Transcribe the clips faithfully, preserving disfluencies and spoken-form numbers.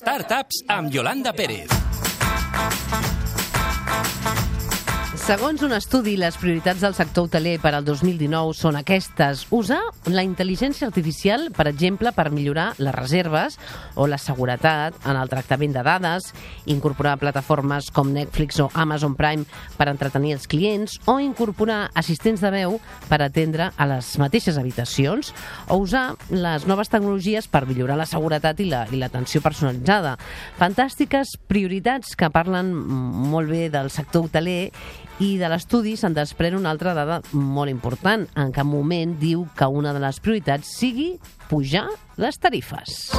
Startups amb Yolanda Pérez. Segons un estudi, les prioritats del sector hoteler per al dos mil dinou són aquestes. Usar la intel·ligència artificial, per exemple, per millorar les reserves o la seguretat en el tractament de dades, incorporar plataformes com Netflix o Amazon Prime per entretenir els clients o incorporar assistents de veu per atendre a les mateixes habitacions o usar les noves tecnologies per millorar la seguretat i la, i l'atenció personalitzada. Fantàstiques prioritats que parlen molt bé del sector hoteler. I de l'estudi se'n desprèn una altra dada molt important. En cap moment diu que una de les prioritats sigui pujar les tarifes.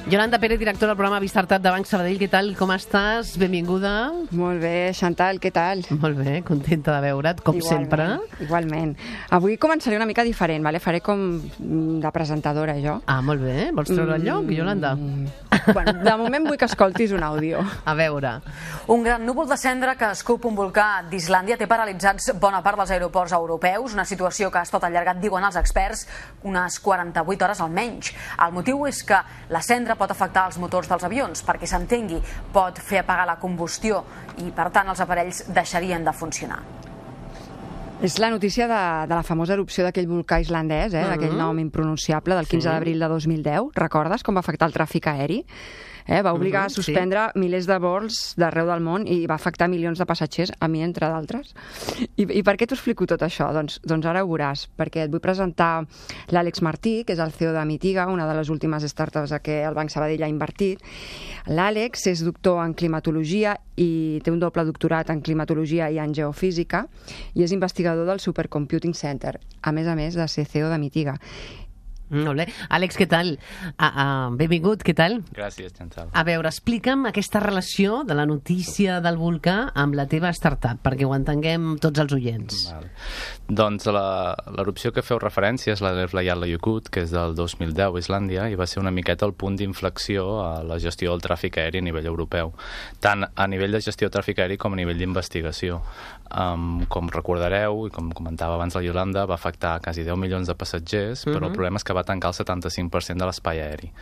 Yolanda Pérez, directora del programa Startup de Banc Sabadell. Què tal? Com estàs? Benvinguda. Molt bé, Chantal, què tal? Molt bé, contenta de veure't, com igualment, sempre. Igualment. Avui començaré una mica diferent, vale? Faré com de presentadora, jo. Ah, molt bé. Vols treure el lloc, Yolanda? Mm. Bueno, de moment vull que escoltis un àudio. A veure. Un gran núvol de cendra que escup un volcà d'Islàndia té paralitzats bona part dels aeroports europeus, una situació que ha estat allargat, diuen els experts, unes quaranta-vuit hores almenys. El motiu és que la cendra pot afectar els motors dels avions, perquè s'entengui, pot fer apagar la combustió i, per tant, els aparells deixarien de funcionar. És la notícia de, de la famosa erupció d'aquell volcà islandès, eh? D'aquell nom impronunciable del quinze d'abril de dos mil deu. Recordes com va afectar el tràfic aeri? Eh, va obligar uh -huh, a suspendre sí. milers de vols d'arreu del món i va afectar milions de passatgers, a mi entre d'altres. I, I per què t'ho explico tot això? Doncs, doncs ara ho veuràs, perquè et vull presentar l'Àlex Martí, que és el C E O de Mitiga, una de les últimes startups a què el Banc Sabadell ha invertit. L'Àlex és doctor en climatologia i té un doble doctorat en climatologia i en geofísica i és investigador del Supercomputing Center, a més a més de ser C E O de Mitiga. Molt bé. Àlex, què tal? Ah, ah, benvingut, què tal? Gràcies, Chantal. A veure, explica'm aquesta relació de la notícia del volcà amb la teva startup, perquè ho entenguem tots els oients. Val. Doncs l'erupció que feu referència és la de Eyjafjallajökull, que és del dos mil deu a Islàndia, i va ser una miqueta el punt d'inflexió a la gestió del tràfic aeri a nivell europeu, tant a nivell de gestió de tràfic aeri com a nivell d'investigació. Um, com recordareu, i com comentava abans la Yolanda, va afectar quasi deu milions de passatgers, però uh-huh. el problema és que va tancar el setanta-cinc per cent de l'espai aeri.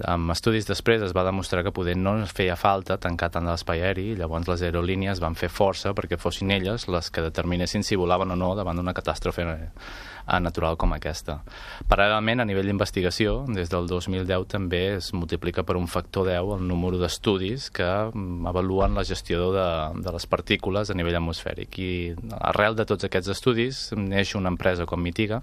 Amb estudis després es va demostrar que poder no feia falta tancar tant de l'espai aeri, i llavors les aerolínies van fer força perquè fossin elles les que determinessin si volaven o no davant d'una catàstrofe natural com aquesta. Paral·lelament, a nivell d'investigació, des del dos mil deu també es multiplica per un factor deu el número d'estudis que avaluen la gestió de, de les partícules a nivell atmosfèric. I arrel de tots aquests estudis neix una empresa com Mitiga,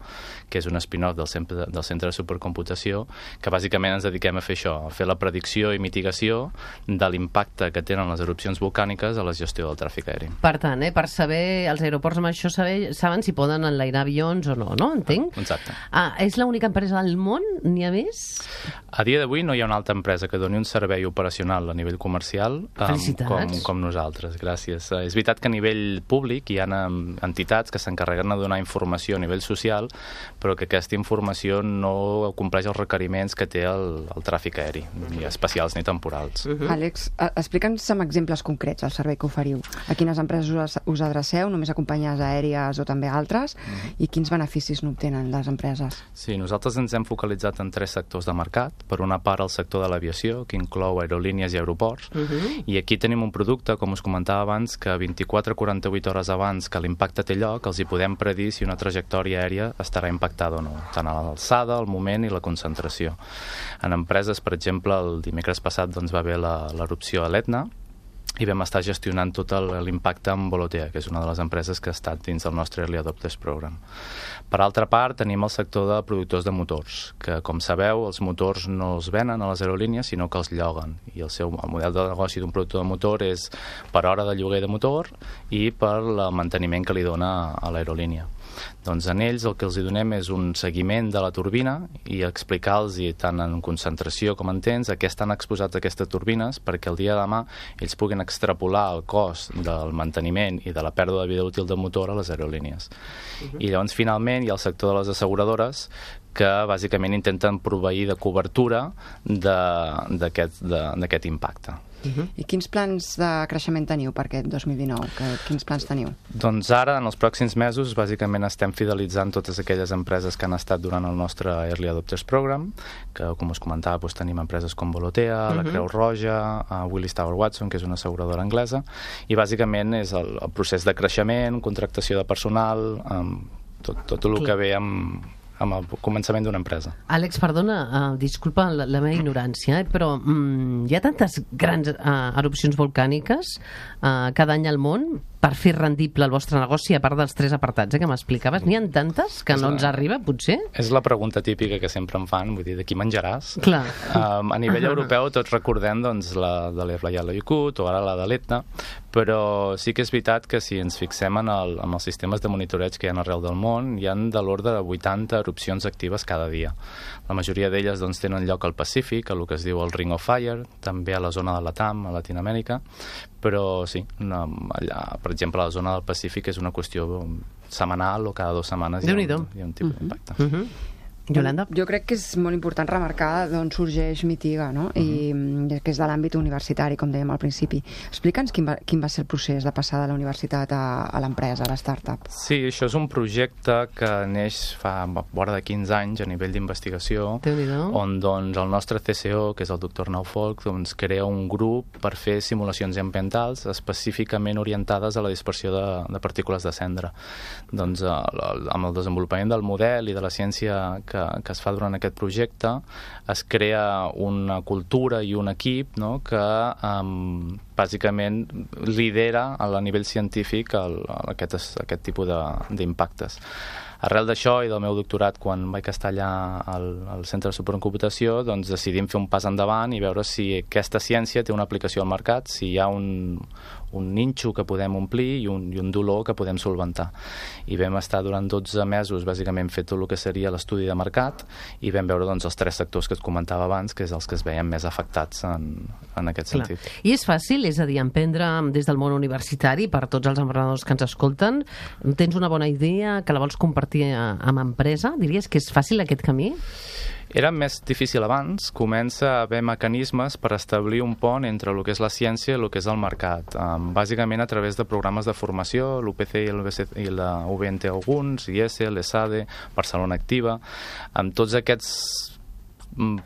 que és un spin-off del centre, del centre de supercomputació, que bàsicament ens dediquem a fer això, a fer la predicció i mitigació de l'impacte que tenen les erupcions volcàniques a la gestió del tràfic aeri. Per tant, eh, per saber, els aeroports amb això saber, saben si poden enlairar avions o no, no? Entenc? Exacte. Ah, és l'única empresa del món? N'hi ha més? A dia d'avui no hi ha una altra empresa que doni un servei operacional a nivell comercial um, com, com nosaltres. Gràcies. Uh, és veritat que a nivell públic hi ha um, entitats que s'encarreguen de donar informació a nivell social, però que aquesta informació no compleix els requeriments que té el, el tràfic aeri, ni especials ni temporals. Uh-huh. Àlex, explica'ns amb exemples concrets el servei que oferiu. A quines empreses us, us adreceu? Només a companyies aèries o també altres? Uh-huh. I quins beneficis n'obtenen les empreses? Sí, nosaltres ens hem focalitzat en tres sectors de mercat. Per una part, el sector de l'aviació, que inclou aerolínies i aeroports. Uh-huh. I aquí tenim un producte, com us comentava abans, que vint-i-quatre a quaranta-vuit hores abans que l'impacte té lloc, els hi podem predir si una trajectòria aèria estarà impactada o no, tant a l'alçada, el moment i la concentració. En empreses, per exemple, el dimecres passat doncs, va haver l'erupció a l'Etna, i vam estar gestionant tot l'impacte amb Volotea, que és una de les empreses que ha estat dins del nostre Early Adopters Program. Per altra part, tenim el sector de productors de motors, que, com sabeu, els motors no els venen a les aerolínies, sinó que els lloguen. I el seu el model de negoci d'un productor de motor és per hora de lloguer de motor i per el manteniment que li dona a l'aerolínia. Doncs en ells el que els donem és un seguiment de la turbina i explicar-los tant en concentració com en temps a què estan exposats aquestes turbines perquè el dia de demà ells puguin extrapolar el cost del manteniment i de la pèrdua de vida útil del motor a les aerolínies. Uh-huh. I llavors finalment hi ha el sector de les asseguradores que bàsicament intenten proveir de cobertura d'aquest impacte. Uh-huh. I quins plans de creixement teniu per aquest dos mil dinou? Que, quins plans teniu? Doncs ara, en els pròxims mesos, bàsicament estem fidelitzant totes aquelles empreses que han estat durant el nostre Early Adopters Program, que, com us comentava, doncs, tenim empreses com Volotea, uh-huh. la Creu Roja, uh, Willis Tower Watson, que és una asseguradora anglesa, i bàsicament és el, el procés de creixement, contractació de personal, um, tot, tot el que ve amb... amb el començament d'una empresa. Àlex, perdona, uh, disculpa la, la meva ignorància, eh, però um, hi ha tantes grans uh, erupcions volcàniques uh, cada any al món per fer rendible el vostre negoci, a part dels tres apartats eh, que m'explicaves. N'hi ha tantes que és no la... ens arriba, potser? És la pregunta típica que sempre em fan, vull dir, de qui menjaràs? Clar. Um, a nivell europeu tots recordem doncs, la de l'Ebre i la Icut o ara la de l'Etna, però sí que és veritat que si ens fixem en, el, en els sistemes de monitoreig que hi ha arreu del món, hi ha de l'ordre de vuitanta erupcions actives cada dia. La majoria d'elles doncs, tenen lloc al Pacífic, a el que es diu el Ring of Fire, també a la zona de Latam, a Latinoamèrica, però sí, no, allà, per exemple, a la zona del Pacífic és una qüestió setmanal o cada dues setmanes hi ha, un, hi ha un tipus d'impacte. Uh -huh. Yolanda? Jo crec que és molt important remarcar d'on sorgeix Mitiga, no? Uh-huh. I que és de l'àmbit universitari, com dèiem al principi. Explica'ns quin va, quin va ser el procés de passar de la universitat a, a l'empresa, a l'startup. Sí, això és un projecte que neix fa vora de quinze anys a nivell d'investigació, on doncs, el nostre C C O, que és el doctor Arnau Folch, doncs, crea un grup per fer simulacions ambientals específicament orientades a la dispersió de, de partícules de cendra. Doncs, el, amb el desenvolupament del model i de la ciència que Que, que es fa durant aquest projecte, es crea una cultura i un equip, no?, que um, bàsicament lidera a nivell científic el, aquest, aquest tipus d'impactes. Arrel d'això i del meu doctorat, quan vaig estar allà al, al Centre de Supercomputació, doncs decidim fer un pas endavant i veure si aquesta ciència té una aplicació al mercat, si hi ha un, un ninxo que podem omplir i un, i un dolor que podem solventar. I vam estar durant dotze mesos bàsicament fet tot el que seria l'estudi de mercat i vam veure doncs, els tres sectors que et comentava abans, que és els que es veien més afectats en, en aquest Clar. sentit. I és fàcil, és a dir, emprendre des del món universitari per tots els emprenedors que ens escolten? Tens una bona idea que la vols compartir amb empresa? Diries que és fàcil aquest camí? Era més difícil abans. Comença a haver mecanismes per establir un pont entre el que és la ciència i el que és el mercat. Um, bàsicament a través de programes de formació, l'U P C i, el i la U B N T alguns, I E S E, l'ESADE, Barcelona Activa, amb tots aquests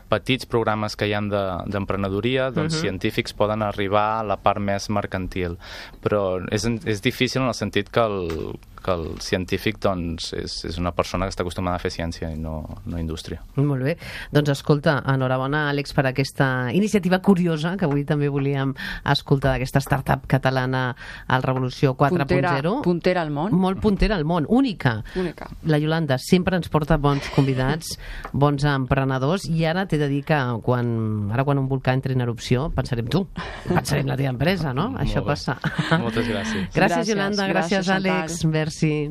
petits programes que hi ha d'emprenedoria, doncs uh-huh. científics poden arribar a la part més mercantil. Però és, és difícil en el sentit que el, que el científic doncs, és, és una persona que està acostumada a fer ciència i no, no indústria. Molt bé. Doncs escolta, enhorabona, Àlex, per aquesta iniciativa curiosa que avui també volíem escoltar d'aquesta startup catalana al Revolució quatre punt zero. Puntera, puntera al món. Molt puntera al món, única. Única. La Yolanda sempre ens porta bons convidats, bons emprenedors, i ara t'he de dir que quan, ara quan un volcà entra en erupció pensarem tu, pensarem la teva empresa, no? Molt Això bé. passa. Moltes gràcies. Gràcies, Yolanda, gràcies, gràcies Àlex. Merci.